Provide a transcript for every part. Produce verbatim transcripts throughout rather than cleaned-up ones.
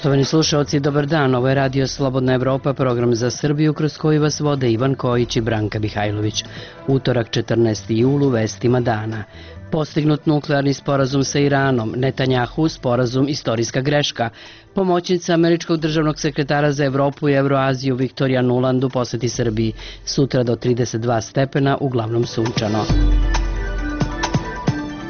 Poštovani slušalci, dobar dan. Ovo je Radio Slobodna Evropa, program za Srbiju kroz koji vas vode Ivan Kojić i Branka Mihajlović. Utorak četrnaesti jul u vestima dana. Postignut nuklearni sporazum sa Iranom, Netanjahu sporazum istorijska greška. Pomoćnica američkog državnog sekretara za Evropu i Evroaziju Viktorija Nuland u poseti Srbiji. Sutra do trideset dva stepena, uglavnom sunčano.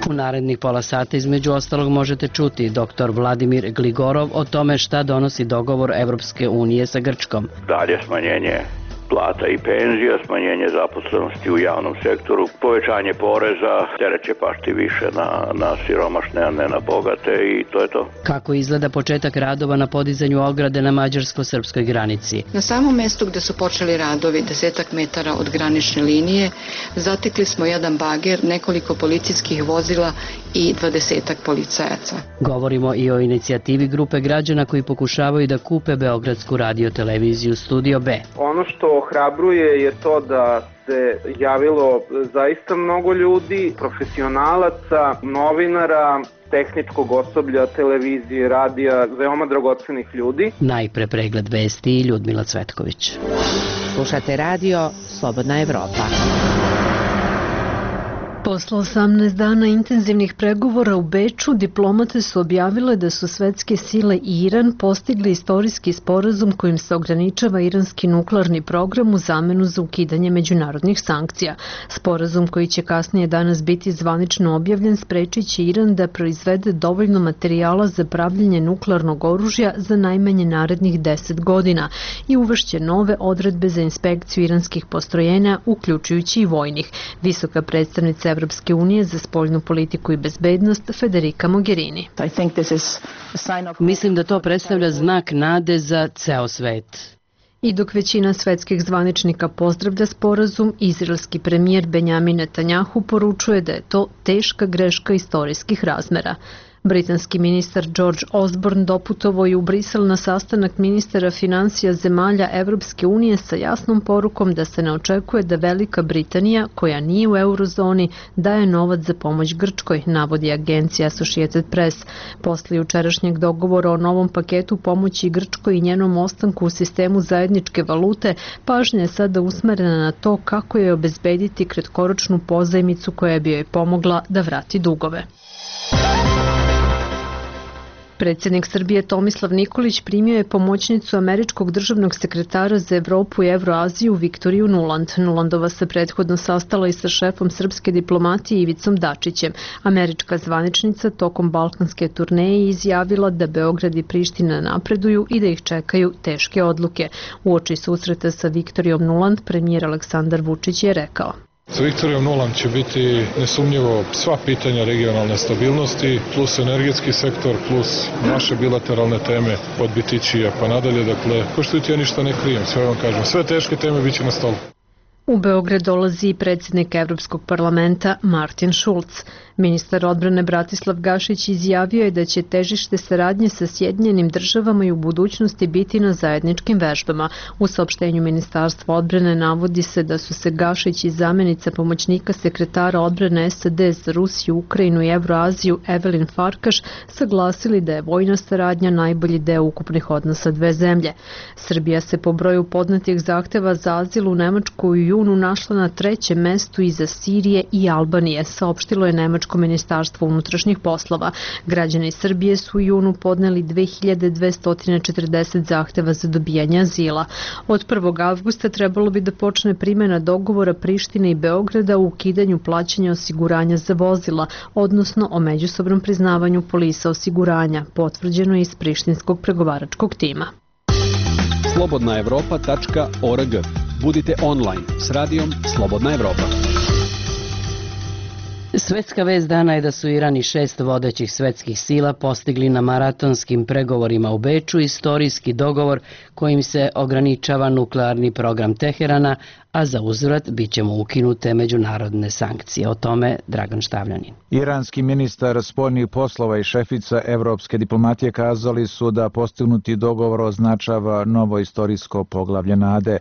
U narednih pola sata između ostalog možete čuti doktor Vladimir Gligorov o tome šta donosi dogovor Evropske unije sa Grčkom. Dalje smanjenje plata i penzija, smanjenje zaposlenosti u javnom sektoru, povećanje poreza, teret će pasti više na, na siromašne, a ne na bogate i to je to. Kako izgleda početak radova na podizanju ograde na mađarsko-srpskoj granici? Na samom mestu gde su počeli radovi, desetak metara od granične linije, zatekli smo jedan bager, nekoliko policijskih vozila i dvadesetak policajaca. Govorimo i o inicijativi grupe građana koji pokušavaju da kupe Beogradsku radioteleviziju Studio B. Ono što ohrabruje je to da se javilo zaista mnogo ljudi, profesionalaca, novinara, tehničkog osoblja, televizije, radija, veoma dragocenih ljudi. Najpre pregled vesti i Ljudmila Cvetković. Slušate radio Slobodna Evropa. Posle osamnaest dana intenzivnih pregovora u Beču, diplomate su objavile da su svetske sile i Iran postigli istorijski sporazum kojim se ograničava iranski nuklearni program u zamenu za ukidanje međunarodnih sankcija. Sporazum koji će kasnije danas biti zvanično objavljen sprečit će Iran da proizvede dovoljno materijala za pravljenje nuklearnog oružja za najmanje narednih deset godina i uvešće nove odredbe za inspekciju iranskih postrojenja, uključujući i vojnih. Visoka predstavnica Evropske unije za spoljnu politiku i bezbednost Federica Mogherini. Mislim da to predstavlja znak nade za ceo svet. I dok većina svetskih zvaničnika pozdravlja sporazum, izraelski premijer Benjamin Netanjahu poručuje da je to teška greška istorijskih razmera. Britanski ministar George Osborne doputovao je u Brisel na sastanak ministara finansija zemalja Evropske unije sa jasnom porukom da se ne očekuje da Velika Britanija, koja nije u eurozoni, daje novac za pomoć Grčkoj, navodi agencija Associated Press. Posle jučerašnjeg dogovora o novom paketu pomoći Grčkoj i njenom ostanku u sistemu zajedničke valute, pažnja je sada usmerena na to kako je obezbediti kratkoročnu pozajmicu koja bi joj pomogla da vrati dugove. Predsjednik Srbije Tomislav Nikolić primio je pomoćnicu američkog državnog sekretara za Evropu i Evroaziju Viktoriju Nuland. Nulandova se prethodno sastala i sa šefom srpske diplomatije Ivicom Dačićem. Američka zvaničnica tokom balkanske turneje izjavila da Beograd i Priština napreduju i da ih čekaju teške odluke. Uoči susreta sa Viktorijom Nuland, premijer Aleksandar Vučić je rekao: Sa Viktorijom Nuland će biti nesumnjivo sva pitanja regionalne stabilnosti, plus energetski sektor, plus naše bilateralne teme od Bitićija pa nadalje. Dakle, ko što ja ništa ne krijem, sve vam kažem. Sve teške teme bit će na stolu. U Beograd dolazi i predsjednik Evropskog parlamenta Martin Schulz. Ministar odbrane Bratislav Gašić izjavio je da će težište saradnje sa Sjedinjenim državama i u budućnosti biti na zajedničkim vežbama. U saopštenju Ministarstva odbrane navodi se da su se Gašić i zamenica pomoćnika sekretara odbrane S A D za Rusiju, Ukrajinu i Evroaziju Evelin Farkaš saglasili da je vojna saradnja najbolji deo ukupnih odnosa dve zemlje. Srbija se po broju podnetih zahteva za azil u Nemačku u junu našla na trećem mestu iza Sirije i Albanije, saopštilo je Nemačko ministarstvo unutrašnjih poslova. Građani Srbije su u junu podneli dve hiljade dvesta četrdeset zahteva za dobijanje azila. Od prvog avgusta trebalo bi da počne primjena dogovora Prištine i Beograda u ukidanju plaćanja osiguranja za vozila, odnosno o međusobnom priznavanju polisa osiguranja, potvrđeno je iz prištinskog pregovaračkog tima. slobodna evropa tačka org. Budite online s radijom Slobodna Evropa. Svetska vest dana je da su Iran i šest vodećih svetskih sila postigli na maratonskim pregovorima u Beču istorijski dogovor kojim se ograničava nuklearni program Teherana, a za uzvrat bit će mu ukinute međunarodne sankcije. O tome Dragan Štavljanin. Iranski ministar spoljnih poslova i šefica evropske diplomatije kazali su da postignuti dogovor označava novo istorijsko poglavlje nade.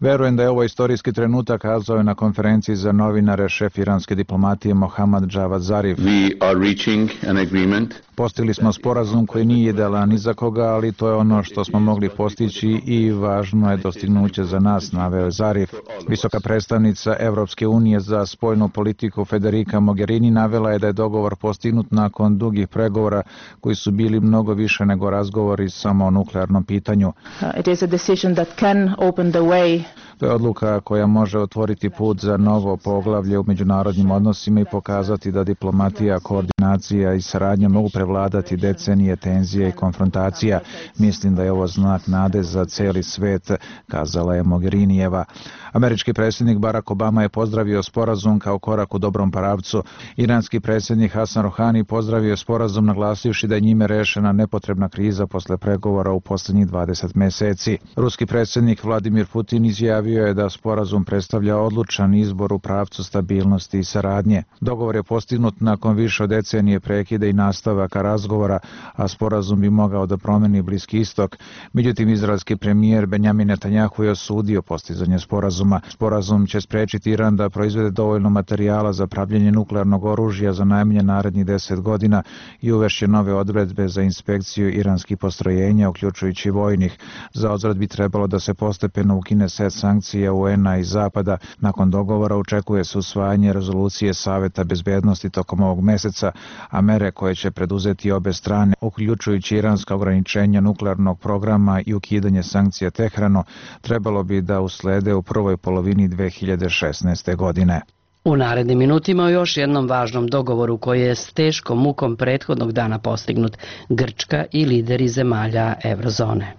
Verujem da je ovo istorijski trenutak, kazao je na konferenciji za novinare šef iranske diplomatije Mohamed Mohammad Javad Zarif. We are reaching an agreement. Postigli smo sporazum koji nije idealan ni za koga, ali to je ono što smo mogli postići i važno je dostignuće za nas, naveo je Zarif. Visoka predstavnica Evropske unije za spoljnu politiku Federica Mogherini navela je da je dogovor postignut nakon dugih pregovora koji su bili mnogo više nego razgovori samo o nuklearnom pitanju. It is a decision that can open the way. To je odluka koja može otvoriti put za novo poglavlje u međunarodnim odnosima i pokazati da diplomatija, koordinacija i saradnja mogu prevladati decenije tenzije i konfrontacija. Mislim da je ovo znak nade za celi svet, kazala je Mogherinijeva. Američki predsjednik Barack Obama je pozdravio sporazum kao korak u dobrom pravcu. Iranski predsjednik Hasan Rohani pozdravio sporazum naglasivši da je njime rešena nepotrebna kriza posle pregovora u posljednjih dvadeset meseci. Ruski predsjednik Vladimir Putin izjavio je da sporazum predstavlja odlučan izbor u pravcu stabilnosti i saradnje. Dogovor je postignut nakon više od decenije prekida i nastavaka razgovora, a sporazum bi mogao da promeni Bliski istok. Međutim, izraelski premijer Benjamin Netanjahu je osudio postizanje sporazuma. Sporazum će sprečiti Iran da proizvede dovoljno materijala za pravljenje nuklearnog oružja za najmanje narednih deset godina i uvešće nove odredbe za inspekciju iranskih postrojenja, uključujući vojnih. Za odvrat bi trebalo da se postepeno ukine set sankcija U N-a i Zapada. Nakon dogovora očekuje se usvajanje rezolucije Saveta bezbednosti tokom ovog meseca, a mere koje će preduzeti obe strane, uključujući iranska ograničenja nuklearnog programa i ukidanje sankcija Tehranu, trebalo bi da uslede u prvoj polovini dve hiljade šesnaeste. godine. U narednim minutima o još jednom važnom dogovoru koji je s teškom mukom prethodnog dana postignut Grčka i lideri zemalja Evrozone.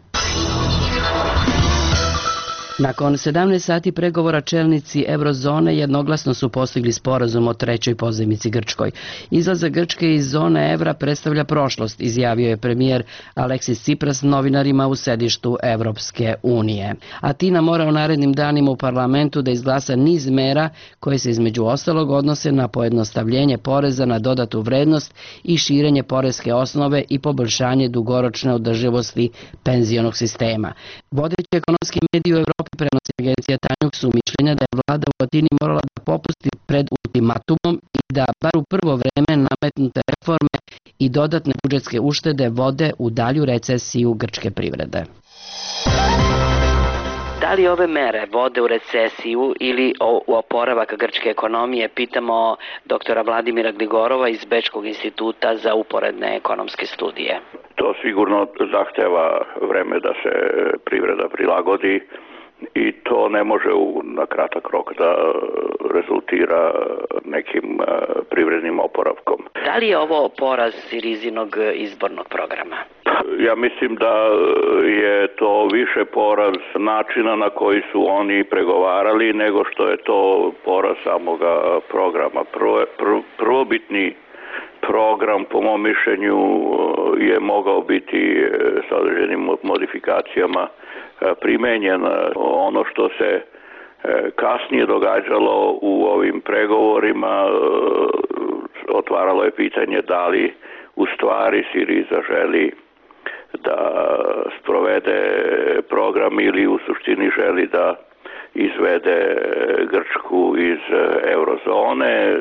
Nakon sedamnaest sati pregovora čelnici Evrozone jednoglasno su postigli sporazum o trećoj pozajmici Grčkoj. Izlazak Grčke iz zone evra predstavlja prošlost, izjavio je premijer Aleksis Tsipras novinarima u sedištu Evropske unije. Atina mora u narednim danima u parlamentu da izglasa niz mera koje se između ostalog odnose na pojednostavljenje poreza na dodatu vrednost i širenje poreske osnove i poboljšanje dugoročne održivosti penzionog sistema. Vodeći ekonomski mediji u Evropi prenosi agencija Tanjug su mišljenja da je vlada u Atini morala da popusti pred ultimatumom i da bar u prvo vreme nametnute reforme i dodatne budžetske uštede vode u dalju recesiju grčke privrede. Da li ove mere vode u recesiju ili u oporavak grčke ekonomije, pitamo doktora Vladimira Gligorova iz Bečkog instituta za uporedne ekonomske studije. To sigurno zahteva vreme da se privreda prilagodi i to ne može u, na kratak rok da rezultira nekim uh, privrednim oporavkom. Da li je ovo poraz Sirizinog izbornog programa? Ja mislim da je to više poraz načina na koji su oni pregovarali nego što je to poraz samoga programa. Prvo, prv, prvobitni program, po mom mišljenju, je mogao biti sa određenim modifikacijama primenjen. Ono što se kasnije događalo u ovim pregovorima otvaralo je pitanje da li u stvari Siriza želi da sprovede program ili u suštini želi da izvede Grčku iz eurozone.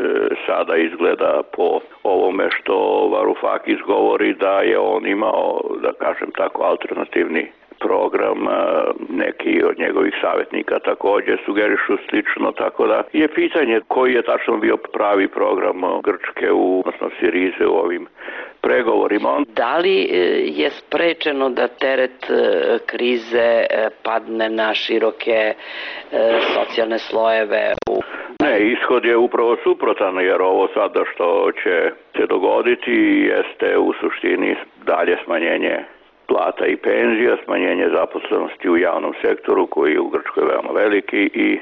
Sada izgleda po ovome što Varoufakis govori da je on imao, da kažem tako, alternativni program, neki od njegovih savjetnika također sugerišu slično, tako da je pitanje koji je tačno bio pravi program Grčke, u, odnosno Sirize u ovim pregovorima. Da li je sprečeno da teret krize padne na široke socijalne slojeve? Ne, ishod je upravo suprotan, jer ovo sada što će se dogoditi jeste u suštini dalje smanjenje plata i penzija, smanjenje zaposlenosti u javnom sektoru koji je u Grčkoj veoma veliki i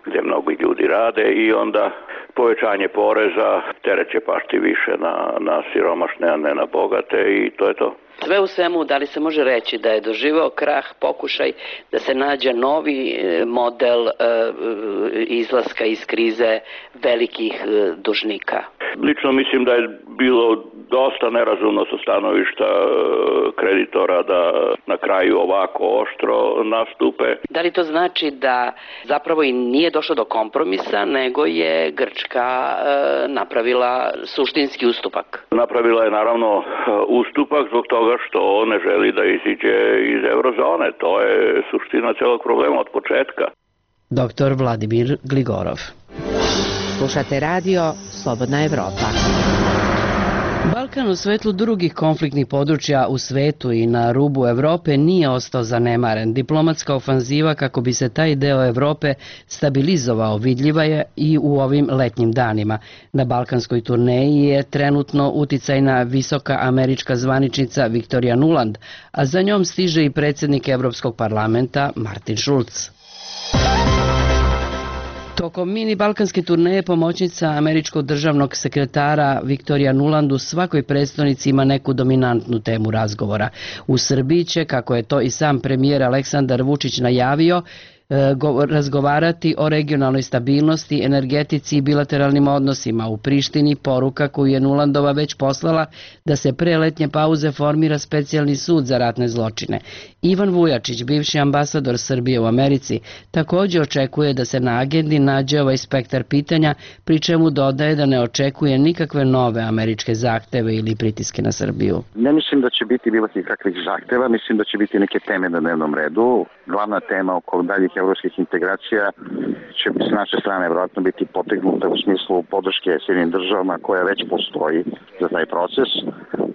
gdje mnogi ljudi rade, i onda povećanje poreza, teret će pasti više na, na siromašne, a ne na bogate, i to je to. Sve u svemu, da li se može reći da je doživeo krah pokušaj da se nađe novi model izlaska iz krize velikih dužnika? Lično mislim da je bilo dosta nerazumno sa stanovišta kreditora da na kraju ovako oštro nastupe. Da li to znači da zapravo i nije došlo do kompromisa, nego je Grčka napravila suštinski ustupak? Napravila je naravno ustupak zbog toga što ne želi da iziđe iz eurozone. To je suština celog problema od početka. Doktor Vladimir Gligorov. Slušate radio Slobodna Evropa. Balkan u svetlu drugih konfliktnih područja u svetu i na rubu Evrope nije ostao zanemaren. Diplomatska ofanziva kako bi se taj deo Evrope stabilizovao vidljiva je i u ovim letnjim danima. Na balkanskoj turneji je trenutno uticajna visoka američka zvaničnica Victoria Nuland, a za njom stiže i predsjednik Evropskog parlamenta Martin Schulz. Tokom mini balkanske turneje pomoćnica američkog državnog sekretara Victoria Nuland u svakoj prestonici ima neku dominantnu temu razgovora. U Srbiji će, kako je to i sam premijer Aleksandar Vučić najavio, razgovarati o regionalnoj stabilnosti, energetici i bilateralnim odnosima. U Prištini poruka koju je Nulandova već poslala da se pre letnje pauze formira specijalni sud za ratne zločine. Ivan Vujačić, bivši ambasador Srbije u Americi, također očekuje da se na agendi nađe ovaj spektar pitanja, pri čemu dodaje da ne očekuje nikakve nove američke zahteve ili pritiske na Srbiju. Ne mislim da će biti bilo kakvih zahteva, mislim da će biti neke teme na dnevnom redu. Glavna tema oko daljih evropskih integracija će s naše strane vjerojatno biti potegnuta u smislu podrške Sjedinjenim državama koja već postoji za taj proces.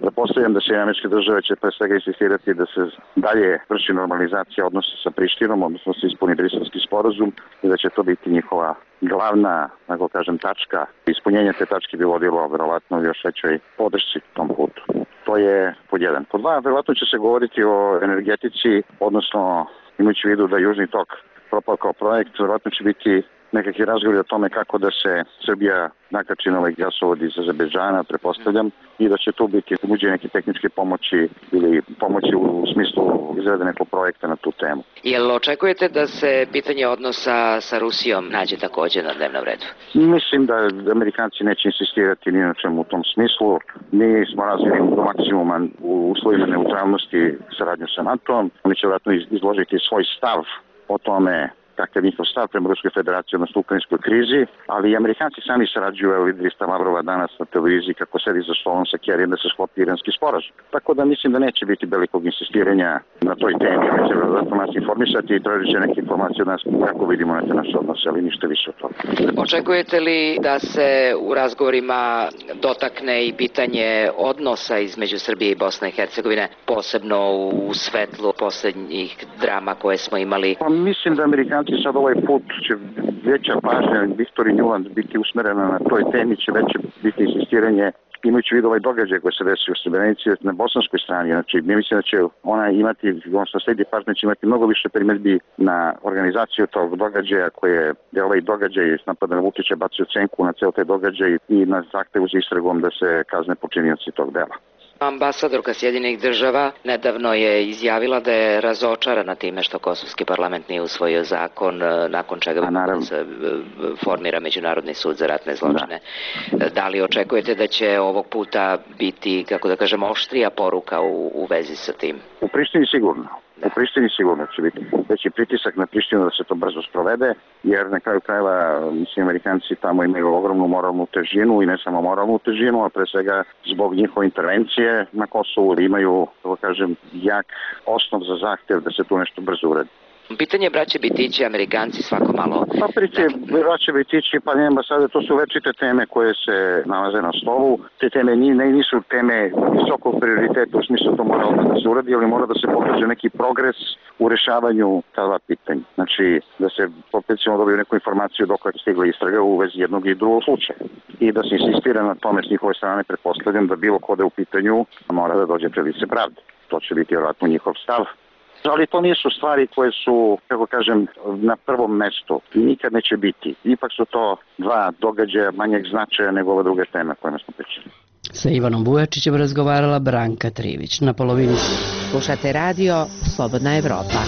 Pretpostavljam da se američke države će pre svega insistirati da se dalje vrši normalizacija odnosa sa Prištinom, odnosno se ispuni Briselski sporazum i da će to biti njihova glavna, tako kažem, tačka. Ispunjenje te tačke bi vodilo vjerovatno još većoj podršci tom putu. To je pod jedan. Pod dva, vjerovatno će se govoriti o energetici, odnosno imajući u vidu da Južni tok propao kao projekt, vjerojatno će biti nekakvi razgovori o tome kako da se Srbija nakači na ovaj gasovod iz Azerbejdžana, pretpostavljam, i da će tu biti uđe neke tehničke pomoći ili pomoći u smislu izrade nekog projekta na tu temu. Jel očekujete da se pitanje odnosa sa Rusijom nađe također na dnevnom redu? Mislim da Amerikanci neće insistirati ni na čemu u tom smislu. Mi smo razvili do maksimuma u uslovima neutralnosti saradnju sa NATO-om. Oni će vjerojatno izložiti svoj stav o tome kakav njihov stav prema Ruskoj federaciji odnosno ukrajinskoj krizi, ali i Amerikanci sami sarađuju, evo videli ste Lavrova danas na televiziji kako sedi za stolom sa Kerijem da se sklopi iranski sporazum. Tako da mislim da neće biti velikog insistiranja na toj temi, oni će vjerojatno nas informisati i tražit će neke informacije od nas kako vidimo na te naše odnose, ali ništa više od toga. Očekujete li da se u razgovorima dotakne i pitanje odnosa između Srbije i Bosne i Hercegovine, posebno u svetlu posljednjih drama koje smo imali? Pa mislim da Amerikanci sad ovaj put će veća pažnja Victoria Nuland biti usmerena na toj temi, će veće biti insistiranje imajući vidu ovaj događaj koji se desio u Srebrenici na bosanskoj strani. Znači, mi mislim da će ona imati, odnosno sledi pažnja će imati mnogo više primjedbi na organizaciju tog događaja koje je ovaj događaj napada na Vučića bacio cenku na ceo taj događaj i na zahtevu za istragom da se kazne počinioci tog dela. Ambasadorka Sjedinjenih država nedavno je izjavila da je razočarana time što kosovski parlament nije usvojio zakon nakon čega se formira Međunarodni sud za ratne zločine. Da. da li očekujete da će ovog puta biti, kako da kažem, oštrija poruka u, u vezi sa tim? U Prištini sigurno. U Prištini sigurno će biti veći pritisak na Prištinu da se to brzo sprovede, jer na kraju krajeva, mislim, Amerikanci tamo imaju ogromnu moralnu težinu i ne samo moralnu težinu, a pre svega zbog njihove intervencije na Kosovu imaju, tako kažem, jak osnov za zahtev da se tu nešto brzo uredi. Pitanje braće Bitići, Amerikanci svako malo... Pa priče braće Bitići, pa ne ambasade, to su večite teme koje se nalaze na stolu. Te teme ne, nisu teme visokog prioriteta, u smislu to mora da se uradi, ali mora da se pokaže neki progres u rešavanju ta dva pitanja. Znači, da se opet ćemo dobiju neku informaciju dok je stigla istraga u vezi jednog i drugog slučaja. I da se insistira na tome s njihove strane, pretpostavljam da bilo ko da je u pitanju mora da dođe pred lice pravde. To će biti vjerojatno njihov stav. Ali to nisu stvari koje su, kako kažem, na prvom mestu. Nikad neće biti. Ipak su to dva događaja manjeg značaja nego ove druge teme koje smo pričali. Sa Ivanom Vujačićem razgovarala Branka Trivić. Na polovini slušate radio Slobodna Evropa.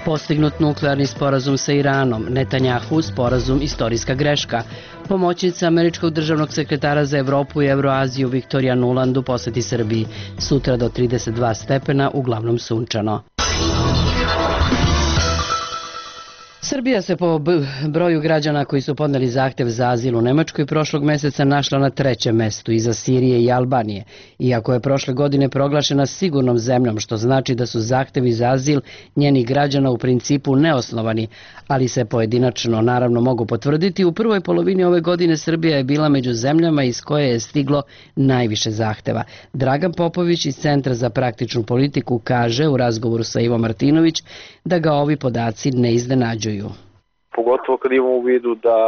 Postignut nuklearni sporazum sa Iranom, Netanjahu sporazum istorijska greška. Pomoćnica američkog državnog sekretara za Evropu i Evroaziju Viktorija Nuland u poseti Srbiji. Sutra do trideset dva stepena, uglavnom sunčano. Srbija se po broju građana koji su podneli zahtev za azil u Nemačkoj prošlog meseca našla na trećem mestu iza Sirije i Albanije. Iako je prošle godine proglašena sigurnom zemljom, što znači da su zahtevi za azil njenih građana u principu neosnovani, ali se pojedinačno naravno mogu potvrditi, u prvoj polovini ove godine Srbija je bila među zemljama iz koje je stiglo najviše zahteva. Dragan Popović iz Centra za praktičnu politiku kaže u razgovoru sa Ivo Martinović da ga ovi podaci ne iznenađuju. Pogotovo kad imamo u vidu da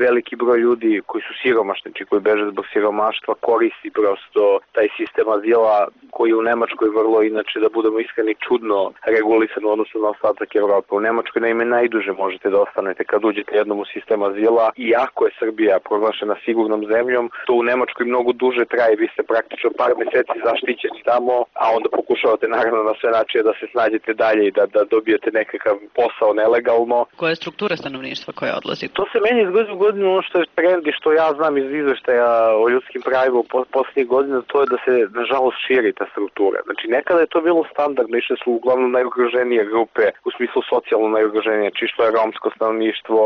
veliki broj ljudi koji su siromašni, či koji beže zbog siromaštva, koristi prosto taj sistem azila koji je u Nemačkoj vrlo, inače da budemo iskreni, čudno regulisan u odnosu na ostatak Evrope. U Nemačkoj naime najduže možete da ostanete kad uđete jednom u sistem azila, iako je Srbija proglašena sigurnom zemljom, to u Nemačkoj mnogo duže traje, vi ste praktično par meseci zaštićeni tamo, a onda pokušavate naravno na sve načine da se snađete dalje i da, da dobijete nekakav posao nelegalno. Koja je struktura stanovništva koja odlazi? To se meni iz godine u godinu, ono što je trend i što ja znam iz izveštaja o ljudskim pravima u poslednjih godina, to je da se nažalost širi ta struktura. Znači nekada je to bilo standardno, išle su uglavnom najugroženije grupe, u smislu socijalno najugroženije, čisto je romsko stanovništvo,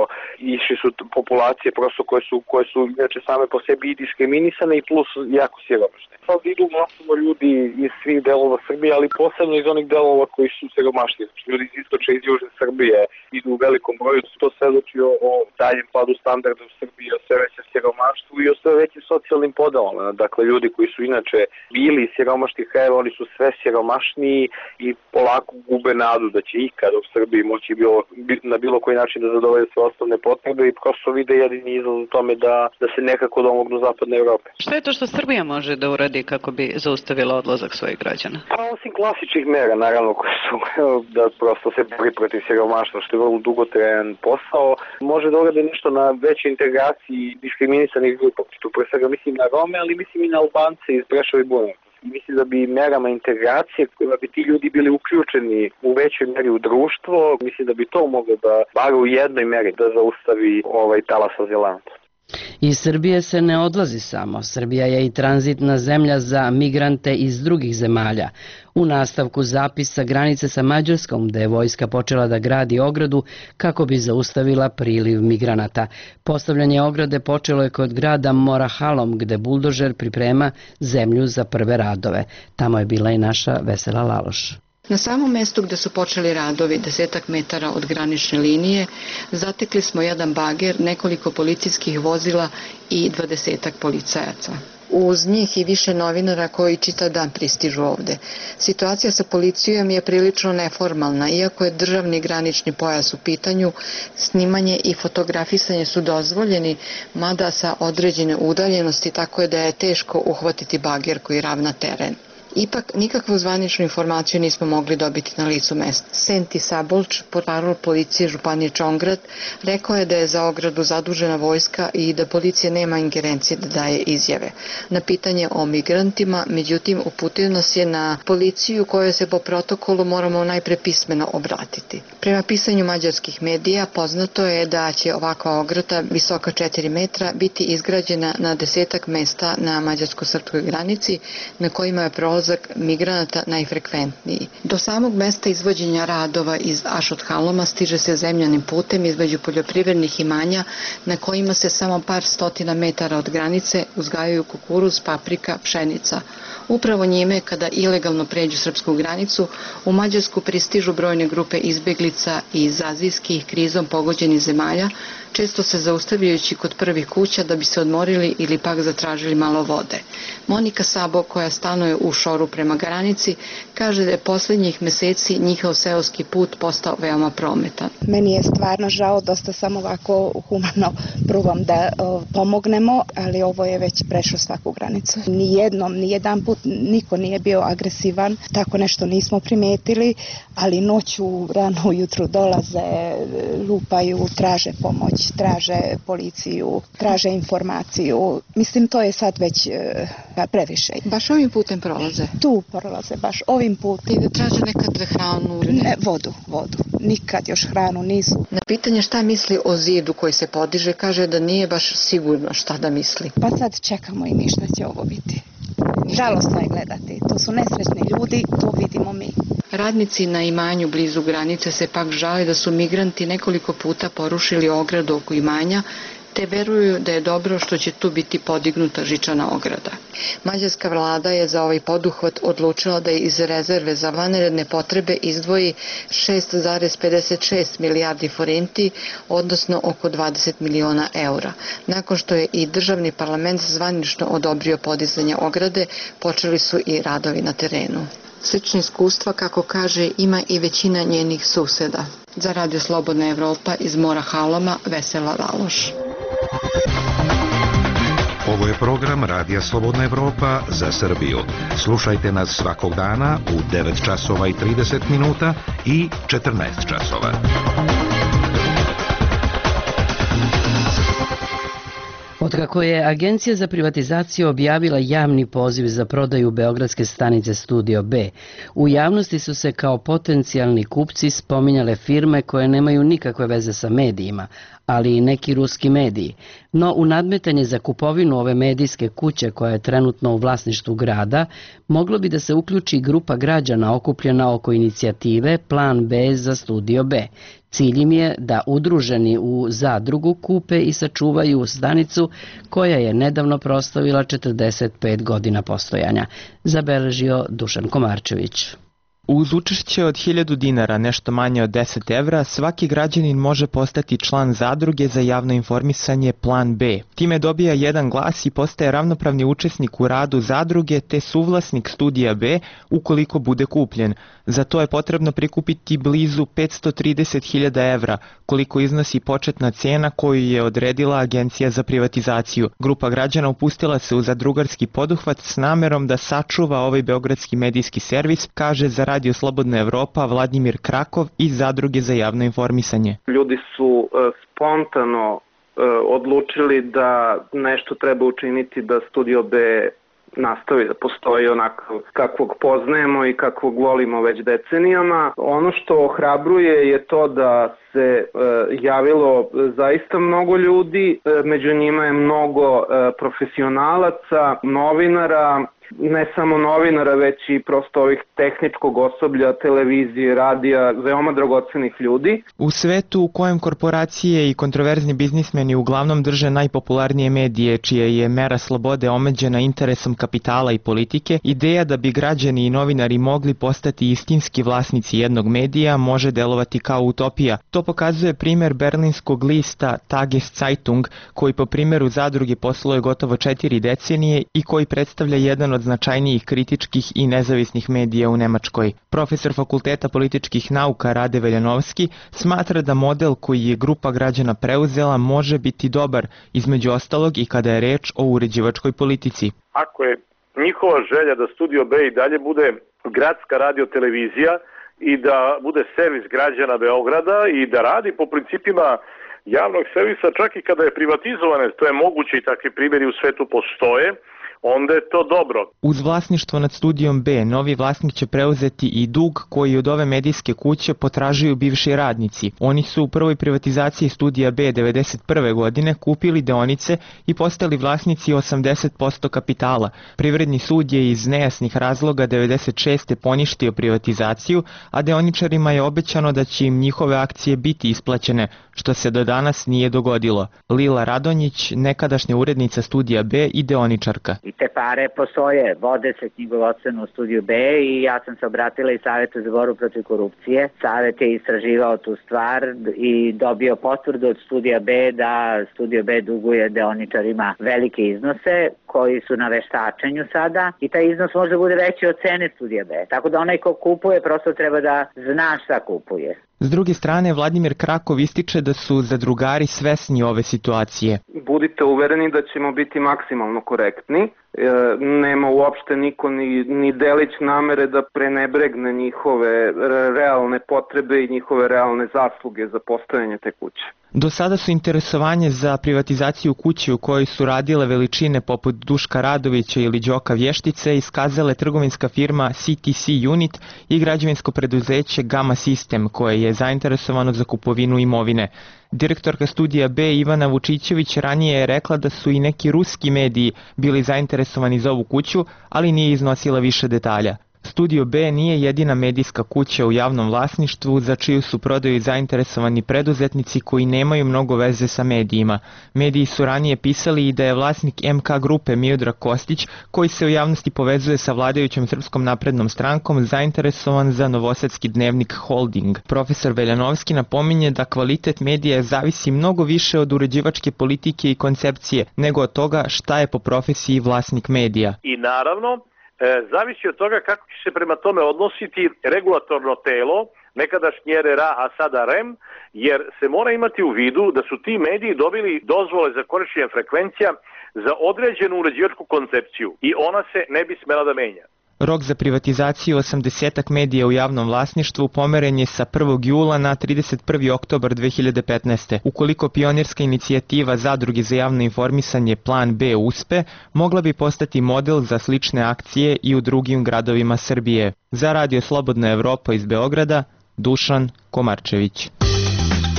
išli su populacije prosto koje su, koje su inače same po sebi i diskriminisane i plus jako siromašne. Sad idu masovno ljudi iz svih delova Srbije, ali posebno iz onih delova koji su siromašni. Znači ljudi iz istočne i iz južne Srbije idu u velikom broju, to svedoči o, o daljem padu standarda u Srbiji, o sve većem siromaštvu i o sve većim socijalnim podelama. Dakle, ljudi koji su inače bili siromašnih krajeva, oni su sve siromašniji i polako gube nadu da će ikad u Srbiji moći bilo, na bilo koji način da zadovolje sve osnovne potrebe i prosto vide jedini izlaz u tome da, da se nekako domognu zapadne Evrope. Šta je to što Srbija može da uradi kako bi zaustavila odlazak svojih građana? Pa osim klasičnih mera, naravno, koje su da prosto se bori protiv siromaštva, što je vrlo dugotrajan posao, može da urade nešto na većoj integraciji diskriminisanih grupa. Tu pre svega mislim na Rome, ali mislim i na Albance iz Preševa i Bujanovca. Mislim da bi merama integracije kojima bi ti ljudi bili uključeni u većoj meri u društvo, mislim da bi to moglo da bar u jednoj meri da zaustavi ovaj talas azilanata. Iz Srbije se ne odlazi samo. Srbija je i tranzitna zemlja za migrante iz drugih zemalja. U nastavku zapisa granice sa Mađarskom, gde je vojska počela da gradi ogradu kako bi zaustavila priliv migranata. Postavljanje ograde počelo je kod grada Morahalom, gde buldožer priprema zemlju za prve radove. Tamo je bila i naša Vesela Laloš. Na samom mestu gde su počeli radovi, desetak metara od granične linije, zatekli smo jedan bager, nekoliko policijskih vozila i dvadesetak policajaca. Uz njih i više novinara koji čitav dan pristižu ovde. Situacija sa policijom je prilično neformalna, iako je državni granični pojas u pitanju, snimanje i fotografisanje su dozvoljeni, mada sa određene udaljenosti, tako je da je teško uhvatiti bager koji ravna teren. Ipak, nikakvu zvaničnu informaciju nismo mogli dobiti na licu mesta. Senti Sabolč, portparol policije Županije Čongrad, rekao je da je za ogradu zadužena vojska i da policija nema ingerencije da daje izjave. Na pitanje o migrantima, međutim, uputio nas je na policiju kojoj se po protokolu moramo najpre pismeno obratiti. Prema pisanju mađarskih medija, poznato je da će ovakva ograda, visoka četiri metra, biti izgrađena na desetak mesta na mađarsko-srpskoj granici, na kojima je prolaz migranata najfrekventniji. Do samog mesta izvođenja radova iz Ašot-Haloma stiže se zemljanim putem između poljoprivrednih imanja na kojima se samo par stotina metara od granice uzgajaju kukuruz, paprika, pšenica. Upravo njime, kada ilegalno pređu srpsku granicu, u Mađarsku pristižu brojne grupe izbeglica iz azijskih krizom pogođenih zemalja, često se zaustavljajući kod prvih kuća da bi se odmorili ili pak zatražili malo vode. Monika Sabo, koja stanuje u šoru prema granici, kaže da je poslednji poslednjih meseci njihov seoski put postao veoma prometan. Meni je stvarno žao, dosta sam ovako humano probam da o, pomognemo, ali ovo je već prešlo svaku granicu. Nijednom, nijedan put niko nije bio agresivan, tako nešto nismo primetili, ali noću, rano ujutru dolaze, lupaju, traže pomoć, traže policiju, traže informaciju. Mislim, to je sad već e, previše. Baš ovim putem prolaze? Tu prolaze, baš ovim putem. I traže nekad hranu? Ne, vodu, vodu. Nikad još hranu nisu. Na pitanje šta misli o zidu koji se podiže, kaže da nije baš sigurno šta da misli. Pa sad čekamo i mi šta će ovo biti. Žalostno je gledati. To su nesrećni ljudi, to vidimo mi. Radnici na imanju blizu granice se pak žale da su migranti nekoliko puta porušili ogradu oko imanja, te veruju da je dobro što će tu biti podignuta žičana ograda. Mađarska vlada je za ovaj poduhvat odlučila da iz rezerve za vanredne potrebe izdvoji šest zarez pedeset šest milijardi forenti, odnosno oko dvadeset miliona eura. Nakon što je i državni parlament zvanično odobrio podizanje ograde, počeli su i radovi na terenu. Slične iskustva, kako kaže, ima i većina njenih suseda. Za Radio Slobodna Evropa iz Mora Haloma, Vesela Valoš. Ovo je program Radija Slobodna Evropa za Srbiju. Slušajte nas svakog dana u devet časova i trideset minuta i četrnaest časova. Otkako je Agencija za privatizaciju objavila javni poziv za prodaju beogradske stanice Studio B, u javnosti su se kao potencijalni kupci spominjale firme koje nemaju nikakve veze sa medijima, ali i neki ruski mediji. No u nadmetanje za kupovinu ove medijske kuće koja je trenutno u vlasništvu grada, moglo bi da se uključi grupa građana okupljena oko inicijative Plan B za Studio B. Cilj im je da udruženi u zadrugu kupe i sačuvaju stanicu koja je nedavno proslavila četrdeset pet godina postojanja, zabeležio Dušan Komarčević. Uz učešće od hiljadu dinara, nešto manje od deset evra, svaki građanin može postati član zadruge za javno informisanje Plan B. Time dobija jedan glas i postaje ravnopravni učesnik u radu zadruge te suvlasnik Studija B ukoliko bude kupljen. Za to je potrebno prikupiti blizu petsto trideset hiljada evra, koliko iznosi početna cena koju je odredila Agencija za privatizaciju. Grupa građana upustila se u zadrugarski poduhvat s namerom da sačuva ovaj beogradski medijski servis, kaže za Radio Slobodna Evropa Vladimir Krakov iz Zadruge za javno informisanje. Ljudi su e, spontano e, odlučili da nešto treba učiniti da Studio B nastavi da postoji onako kakvog poznajemo i kakvog volimo već decenijama. Ono što ohrabruje je to da se e, javilo zaista mnogo ljudi, e, među njima je mnogo e, profesionalaca, novinara, ne samo novinara, već i prosto ovih tehničkog osoblja, televizije, radija, veoma dragocenih ljudi. U svetu u kojem korporacije i kontroverzni biznismeni uglavnom drže najpopularnije medije, čija je mera slobode omeđena interesom kapitala i politike, ideja da bi građani i novinari mogli postati istinski vlasnici jednog medija može delovati kao utopija. To pokazuje primer berlinskog lista Tageszeitung, koji po primjeru zadruge posluje gotovo četiri decenije i koji predstavlja jedan od značajnijih kritičkih i nezavisnih medija u Nemačkoj. Profesor Fakulteta političkih nauka Rade Veljanovski smatra da model koji je grupa građana preuzela može biti dobar, između ostalog i kada je reč o uređivačkoj politici. Ako je njihova želja da Studio B i dalje bude gradska radiotelevizija i da bude servis građana Beograda i da radi po principima javnog servisa čak i kada je privatizovane, to je moguće i takvi primjeri u svetu postoje, onda je to dobro. Uz vlasništvo nad Studijom B, novi vlasnik će preuzeti i dug koji od ove medijske kuće potražuju bivši radnici. Oni su u prvoj privatizaciji Studija B devedeset prve godine kupili deonice i postali vlasnici osamdeset posto kapitala. Privredni sud je iz nejasnih razloga devedeset šeste poništio privatizaciju, a deoničarima je obećano da će im njihove akcije biti isplaćene, što se do danas nije dogodilo. Lila Radonjić, nekadašnja urednica Studija B i deoničarka. I te pare postoje, vode se knjigovodstveno u Studiju B i ja sam se obratila i Savetu za borbu protiv korupcije. Savet je istraživao tu stvar i dobio potvrdu od Studija B da Studio B duguje deoničarima velike iznose koji su na veštačenju sada i taj iznos može bude veći od cene Studija B. Tako da onaj ko kupuje prosto treba da zna šta kupuje. S druge strane, Vladimir Krakov ističe da su zadrugari svesni ove situacije. Budite uvereni da ćemo biti maksimalno korektni. E, nema uopšte niko ni, ni delić namere da prenebregne njihove realne potrebe i njihove realne zasluge za postojanje te kuće. Do sada su interesovanje za privatizaciju kuće u kojoj su radile veličine poput Duška Radovića ili Đoka Vještice iskazale trgovinska firma C T C Unit i građevinsko preduzeće Gama System koje je zainteresovano za kupovinu imovine. Direktorka Studija B Ivana Vučićević ranije je rekla da su i neki ruski mediji bili zainteresovani za ovu kuću, ali nije iznosila više detalja. Studio B nije jedina medijska kuća u javnom vlasništvu za čiju su prodaju zainteresovani preduzetnici koji nemaju mnogo veze sa medijima. Mediji su ranije pisali i da je vlasnik M K grupe Miodrag Kostić, koji se u javnosti povezuje sa vladajućom Srpskom naprednom strankom, zainteresovan za novosadski dnevnik Holding. Profesor Veljanovski napominje da kvalitet medija zavisi mnogo više od uređivačke politike i koncepcije nego od toga šta je po profesiji vlasnik medija. I naravno, E, zavisi od toga kako će se prema tome odnositi regulatorno telo, nekadašnji R R A, a sada R E M, jer se mora imati u vidu da su ti mediji dobili dozvole za korišćenje frekvencija za određenu uređivačku koncepciju i ona se ne bi smela da menja. Rok za privatizaciju osamdesetak medija u javnom vlasništvu pomeren je sa prvog jula na trideset prvi oktobar dve hiljade petnaeste. Ukoliko pionirska inicijativa Zadruge za javno informisanje Plan B uspe, mogla bi postati model za slične akcije i u drugim gradovima Srbije. Za Radio Slobodna Evropa iz Beograda, Dušan Komarčević.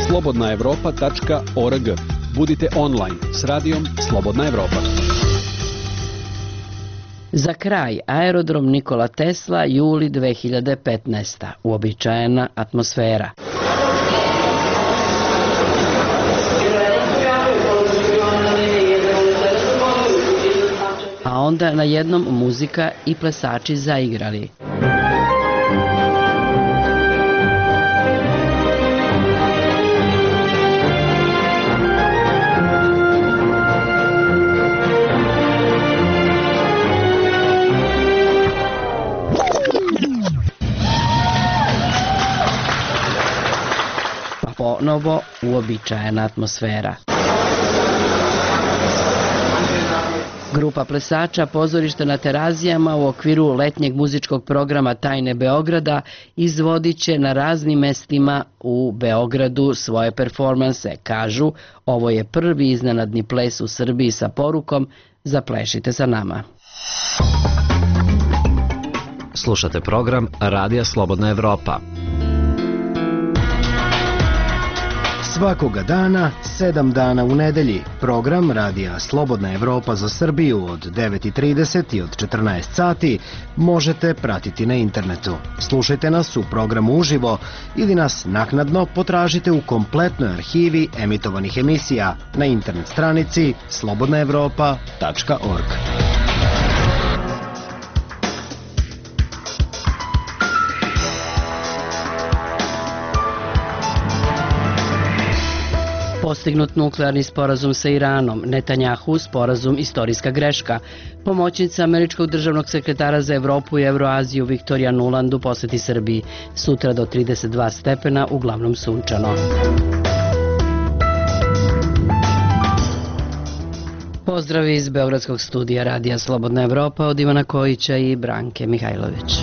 slobodna evropa tačka org. Budite online s radijom Slobodna Evropa. Za kraj, aerodrom Nikola Tesla, juli dve hiljade petnaeste. Uobičajena atmosfera. A onda na jednom muzika i plesači zaigrali. Ponovo uobičajena atmosfera. Grupa plesača pozorišta na Terazijama u okviru letnjeg muzičkog programa Tajne Beograda izvodit će na raznim mestima u Beogradu svoje performanse. Kažu, ovo je prvi iznenadni ples u Srbiji sa porukom Zaplešite sa nama. Slušate program Radija Slobodna Evropa. Svakoga dana, sedam dana u nedelji, program Radija Slobodna Evropa za Srbiju od devet i trideset i od četrnaest sati možete pratiti na internetu. Slušajte nas u programu uživo ili nas naknadno potražite u kompletnoj arhivi emitovanih emisija na internet stranici slobodna evropa tačka org. Postignut nuklearni sporazum sa Iranom, Netanjahu sporazum istorijska greška. Pomoćnica američkog državnog sekretara za Evropu i Evroaziju Viktorija Nuland u poseti Srbiji. Sutra do trideset dva stepena, uglavnom sunčano. Pozdrav iz Beogradskog studija Radija Slobodna Evropa od Ivana Kojića i Branke Mihajlović.